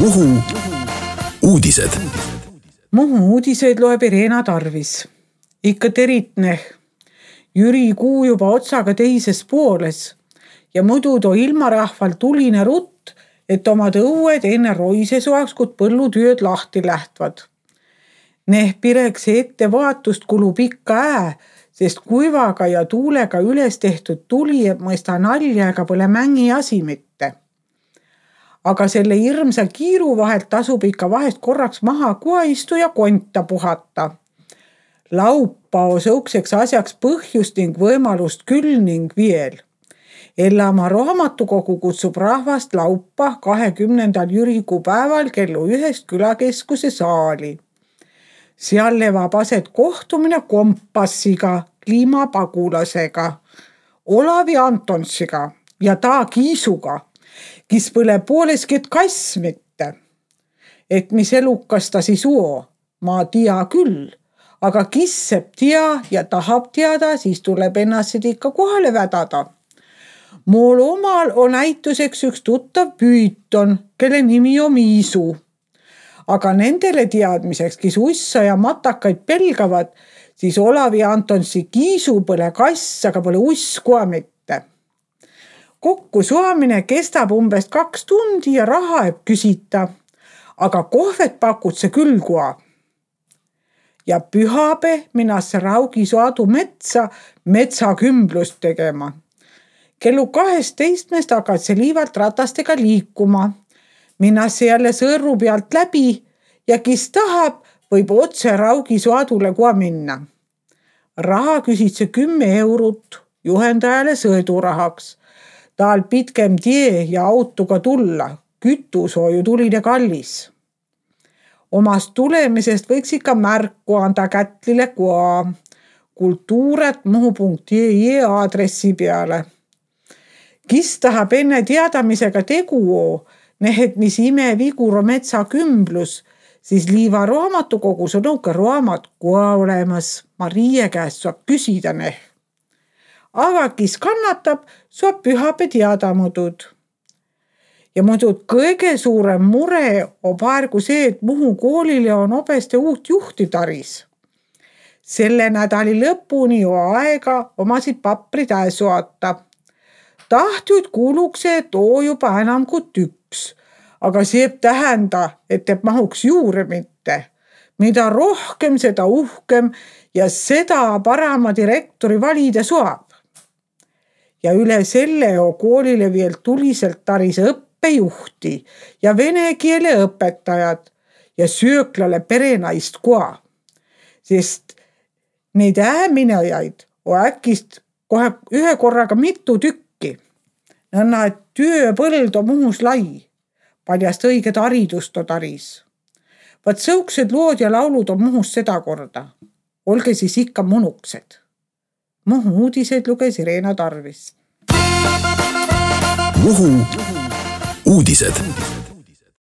Muhu uudised. Muhu uudiseid loeb Irena Tarvis. Ikka teritne. Jüri kuu juba otsaga teises pooles ja muidu too ilmarahval tuline rutt, et omad õued enne roise soaks, kui põllutyöd lahti lähtvad. Neh pireks ette vaatust kulub ikka sest kuivaga ja tuulega üles tehtud tuli ei mõista nalja ega pole mängi asi mitte. Aga selle hirmsa kiiru vahelt tasub ikka vahest korraks maha kuaistu ja konta puhata. Laupa on sõukseks asjaks põhjust ning võimalust küll ning veel. Ellama raamatukogu kutsub rahvast laupa 20. jürikuu päeval kellu 1 külakeskuse saali. Seal levab aset kohtumine Kompassiga, kliimapagulasega, Olavi Antonsiga ja ta Kiisuga, kes põle poolesket kass mitte. Et mis elukas ta siis uo, ma tea küll, aga kisseb tea ja tahab teada, siis tuleb ennast ikka kohale vädada. Mool omal on näituseks üks tuttav püüton, kelle nimi on Miisu. Aga nendele teadmiseks, kes ussa ja matakaid pelgavad, siis Olavi Antonsi Kiisu pole kass, aga pole uskua mitte. Kokku suamine kestab umbes 2 tundi ja raha ei küsita, aga kohvet pakutse küll kua. Ja pühape minnasse Raugisaadu metsakümblust tegema. Kellu 12 hakkad see liivalt ratastega liikuma. Minnasse jälle sõrru pealt läbi ja kes tahab, võib otse Raugisaadule kua minna. Raha küsitse 10 eurot juhendajale sõidurahaks. Taal pitkem tie ja autoga tulla. Kütus on ju tuline kallis. Omast tulemisest võiks ikka märku anda kätlile kua kultuuret.muhu.ee aadressi peale. Kes tahab enne teadamisega tegu nehet, mis imevigur metsakümblus, siis Liiva raamatukogus on nõuke raamat kua olemas. Marie käest saab küsida neh. Aga kes kannatab, saab pühape teada mudud. Ja muidu kõige suurem mure on praegu see, et Muhu koolile on obeste uut juhti taris. Selle nädali lõpuni on aega omasid paprid soata. Tahtjud kuulukse, et oo juba enam kui 1, aga see tähenda, et mahuks juurde mitte. Mida rohkem, seda uhkem ja seda parema direktori valida saab. Ja üle selle on koolile veel tuliselt taris õppejuhti ja vene keele õpetajad ja sööklale perenaist kua. Sest neid minejaid on äkist kohe ühe korraga mitu tükki. Nõnna, et tööpõld on Muhus lai. Paljast õiget haridust on taris. Vaat sõuksed lood ja laulud on Muhus seda korda. Olge siis ikka munuksed. Muhu uudiseid luges Irena Tarvis. Muhu uudised.